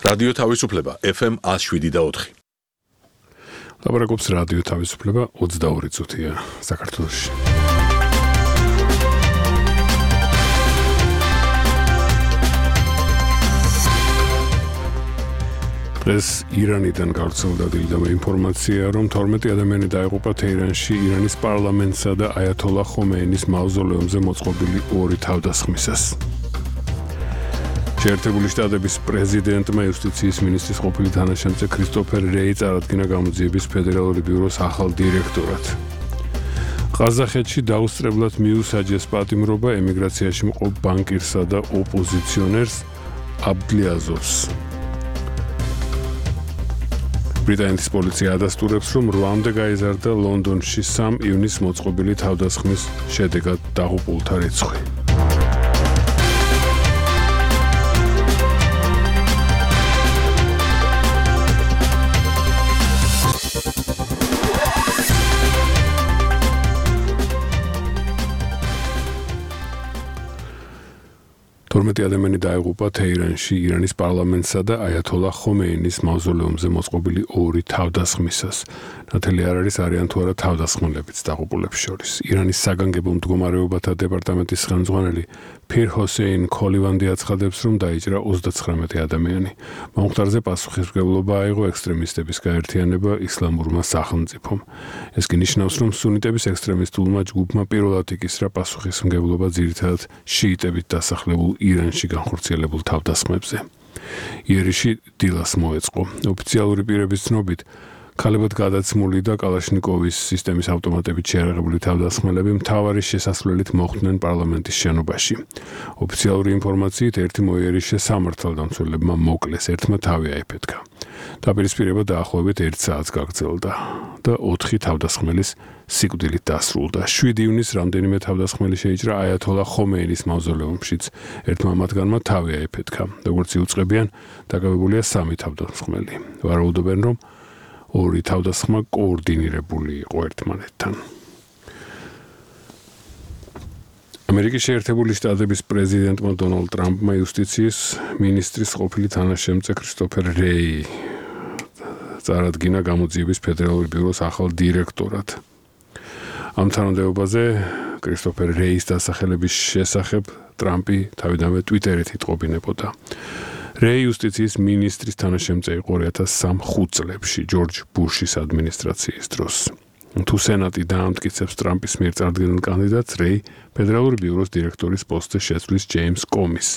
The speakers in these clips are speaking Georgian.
რადიო თავისუფლება FM 107.4. ლაპარაკობს რადიო თავისუფლება 22 წუთია საქართველოში. დღეს ირანიდან გავრცელდა დილიდამე ინფორმაცია, რომ 12 ადამიანი დაიღუპა თეირანში ირანის პარლამენტსა და აიათოლა ხომეინის მავზოლეუმზე მოწყობილი ორი თავდასხმისას. შეერთებული შტატების პრეზიდენტმა იუსტიციის მინისტრის ყოფილი თანაშემწე ქრისტოფერ რეი წარადგინა გამოძიების ფედერალური ბიუროს ახალ დირექტორად. ყაზახეთში დაუსწრებლად მიუსაჯეს პატიმრობა ემიგრაციაში მყოფ ბანკირსა და ოპოზიციონერს აბდლიაზოვს. ბრიტანეთის პოლიცია ადასტურებს, რომ 8-მდე გაიზარდა ლონდონში 3 ივნისს მოწყობილი თავდასხმის შედეგად დაღუპულთა რიცხვი. ადამიანი დაიღუპა თეირანში ირანის პარლამენტსა და აიათოლა ხომეინის მავზოლეუმზე მოწყობილი ორი თავდასხმისას. ნათელი არ არის არიან თუ არა თავდასხმელებიც დაღუპულებს შორის. ირანის საგანგებო მდგომარეობათა დეპარტამენტის ხელმძღვანელი ფირ ჰოსეინ ქოლივანდი აცხადებს, რომ დაიჭრა 39 ადამიანი. მომხდარზე პასუხისმგებლობა აიღო ექსტრემისტების გაერთიანება ისლამურმა სახელმწიფომ. ეს კი ნიშნავს, რომ სუნიტების ექსტრემისტულმა ჯგუფმა პირველად იკისრა პასუხისმგებლობა ძირითადად შიიტებით დასახლებულ ირანში განხორციელებულ თავდასხმებზე. იერიში დილას მოეწყო. ოფიციალური პირების ცნობით, ქალებად გადაცმული და კალაშნიკოვის სისტემის ავტომატებით შეიარაღებული თავდასხმელები მთავარი შესასვლელით მოხვდნენ პარლამენტის შენობაში. ოფიციალური ინფორმაციით, ერთი მოიერიშე სამართალდამცველებმა მოკლეს, ერთმა თავი აიფეთქა. დაპირისპირება დაახლოებით 1 საათს გაგრძელდა და 4 თავდასხმელის სიკვდილით დასრულდა. 7 ივნისს რამდენიმე თავდასხმელი შეიჭრა აიათოლა ხომეინის მავზოლეუმშიც. ერთმა მათგანმა თავი აიფეთქა. როგორც იუწყებიან, დაკავებულია 3 თავდასხმელი. ვარაუდობენ, რომ ორი თავდასხმა კოორდინირებული იყო ერთმანეთთან. ამერიკის შეერთებული შტატების პრეზიდენტმა დონალდ ტრამპმა იუსტიციის მინისტრის ყოფილი თანაშემწე ქრისტოფერ რეი წარადგინა გამოძიების ფედერალური ბიუროს ახალ დირექტორად. ამ თანამდებობაზე ქრისტოფერ რეის დასახელების შესახებ ტრამპი თავიდანვე ტვიტერით იტყობინებოდა. რეი იუსტიციის მინისტრის თანაშემწე იყო 2003 წლებში ჯორჯ ბუშის ადმინისტრაციის დროს. თუ სენატი დაამტკიცებს ტრამპის მიერ წარდგენილ კანდიდატს, რეი ფედერალური ბიუროს დირექტორის პოსტზე შეცვლის ჯეიმს კომის,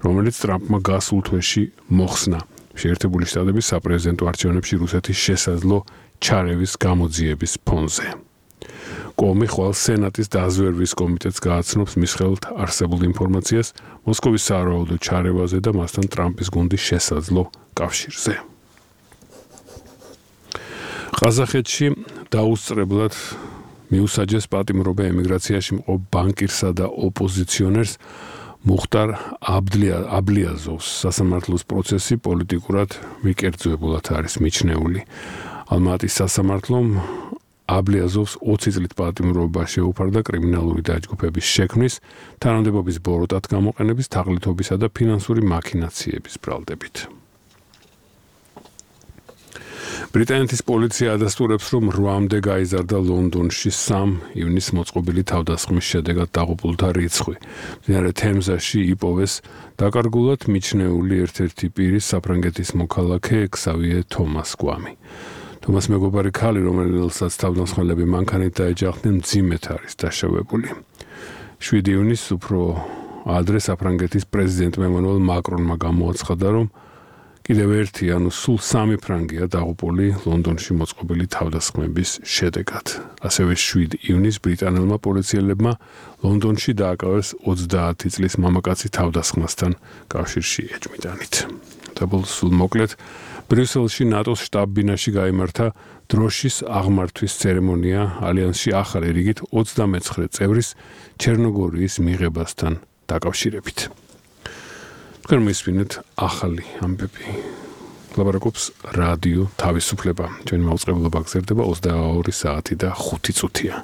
რომელიც ტრამპმა გასულ თვეში მოხსნა შეერთებული შტატების საპრეზიდენტო არჩევნებში რუსეთის შესაძლო ჩარევის გამოძიების ფონზე. კომი ხვალ სენატის დაზვერვის კომიტეტს გააცნობს მის ხელთ არსებულ ინფორმაციას მოსკოვის სავარაუდო ჩარევაზე და მასთან ტრამპის გუნდის შესაძლო კავშირზე. ყაზახეთში დაუსწრებლად მიუსაჯეს პატიმრობა ემიგრაციაში მყოფ ბანკირსა და ოპოზიციონერს მუხტარ აბლიაზოვს. სასამართლოს პროცესი პოლიტიკურად მიკერძოებულად არის მიჩნეული. ალმატის სასამართლომ აბლიაზოვს 20 წლით პატიმრობა შეუფარდა კრიმინალური დაჯგუფების შექმნის, თანამდებობის ბოროტად გამოყენების, თაღლითობისა და ფინანსური მაქინაციების ბრალდებით. ბრიტანეთის პოლიცია ადასტურებს, რომ 8-მდე გაიზარდა ლონდონში 3 ივნისს მოწყობილი თავდასხმის შედეგად დაღუპულთა რიცხვი. მდინარე თემზაში იპოვეს დაკარგულად მიჩნეული ერთ-ერთი პირის საფრანგეთის მოქალაქე ქსავიე თომას გვამი. თომას მეგობარი ქალი, რომელსაც თავდასხმელები მანქანით დაეჯახდნენ, მძიმედ არის დაშავებული. 7 ივნისს უფრო ადრე საფრანგეთის პრეზიდენტმა ემანუელ მაკრონმა გამოაცხადა, რომ კიდევ ერთი, ანუ სულ 3 ფრანგია დაღუპული ლონდონში მოწყობილი თავდასხმების შედეგად. ასევე 7 ივნისს ბრიტანელმა პოლიციელებმა ლონდონში დააკავეს 30 წლის მამაკაცი თავდასხმასთან კავშირში ეჭვმიტანით. სულ მოკლედ, ბრიუსელში ნატოს შტაბ-ბინაში გაიმართა დროშის აღმართვის ცერემონია ალიანსში ახალი რიგით 29 წევრის ჩერნოგორიის მიღებასთან დაკავშირებით. თქვენ მისვინეთ ახალი ამბები. ლაპარაკობს რადიო თავისუფლება. ჩვენი მაუწყებლობა გრძელდება 22 საათი და 5 წუთია.